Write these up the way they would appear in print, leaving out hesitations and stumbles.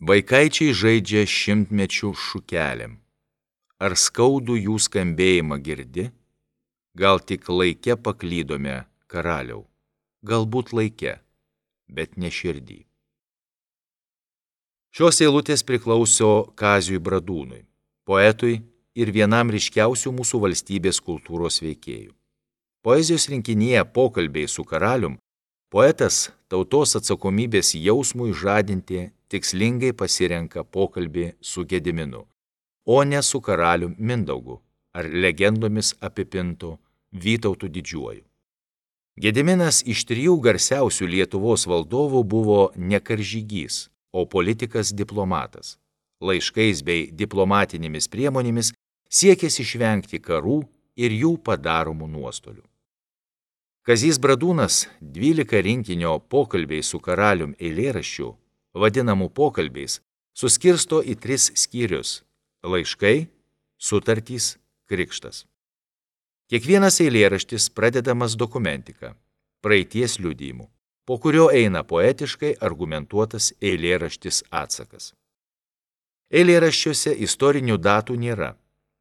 Vaikaičiai žaidžia šimtmečių šukelėm. Ar skaudų jų skambėjimą girdi? Gal tik laike paklydome, karaliau, galbūt laike, bet ne širdį. Šios eilutės priklauso Kaziui Bradūnui, poetui ir vienam ryškiausių mūsų valstybės kultūros veikėjų. Poezijos rinkinyje Pokalbiai su karalium poetas tautos atsakomybės jausmui žadinti tikslingai pasirenka pokalbį su Gediminu, o ne su karalium Mindaugu ar legendomis apipintu Vytautu Didžiuoju. Gediminas iš 3 garsiausių Lietuvos valdovų buvo ne karžygys, o politikas diplomatas. Laiškais bei diplomatinėmis priemonėmis siekęs išvengti karų ir jų padaromų nuostolių. Kazys Bradūnas 12 rinkinio Pokalbiai su karalium eilėraščių, vadinamų pokalbiais, suskirsto į 3 skyrius – laiškai, sutartys, krikštas. Kiekvienas eilėraštis pradedamas dokumentika, praeities liudijimu, po kurio eina poetiškai argumentuotas eilėraštis atsakas. Eilėraščiuose istorinių datų nėra,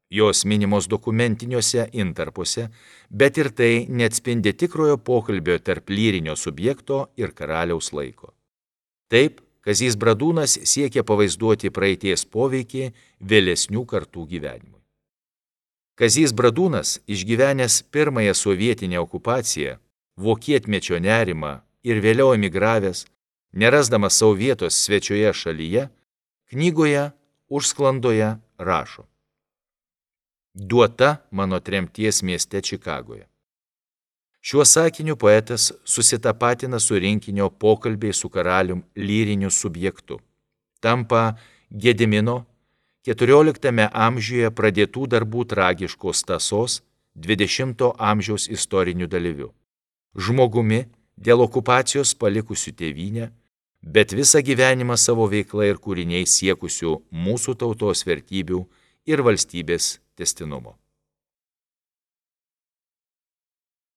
jos minimos dokumentiniuose intarpuose, bet ir tai neatspindi tikrojo pokalbio tarp lyrinio subjekto ir karaliaus laiko. Taip, Kazys Bradūnas siekia pavaizduoti praeities poveikį vėlesnių kartų gyvenimui. Kazys Bradūnas, išgyvenęs pirmąją sovietinę okupaciją, vokietmečio nerimą ir vėliau emigravęs, nerasdamas savo vietos svečioje šalyje, knygoje Užsklandoje rašo: duota mano tremties mieste Čikagoje. Šiuo sakiniu poetas susitapatina su rinkinio Pokalbiai su karalium lyriniu subjektu, tampa Gedimino 14 amžiuje pradėtų darbų tragiškos tąsos 20 amžiaus istoriniu dalyviu, žmogumi dėl okupacijos palikusiu tėvynę, bet visą gyvenimą savo veiklą ir kūriniais siekusiu mūsų tautos vertybių ir valstybės tęstinumo.